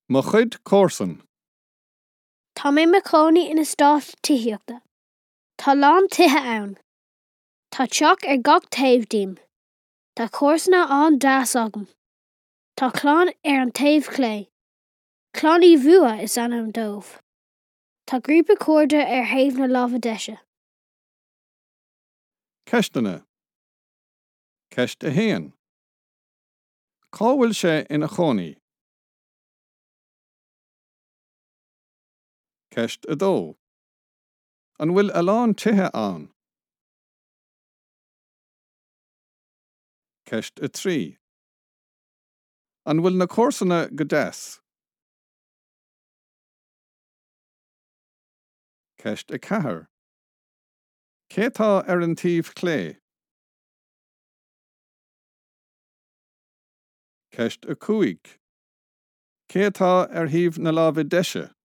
Mo chuid comharsan. Tá mé i mo chónaí in eastát tithíochta. Tá a lán tithe ann. Tá teach ar gach taobh díom. Tá comharsana an-deas agam. Tá clann ar an taobh clé. Clann Uí Bhua is ainm dóibh. Tá grúpa cairde ar thaobh na láimhe deise. Ceisteanna. Ceist 1. Cá bhfuil sé ina chónaí? Ceist 2. An bhfuil a lán tithe ann? Ceist 3. An bhfuil na comharsana go deas? Ceist 4. Cé atá ar an taobh clé? Ceist 5. Cé atá ar thaobh na láimhe deise?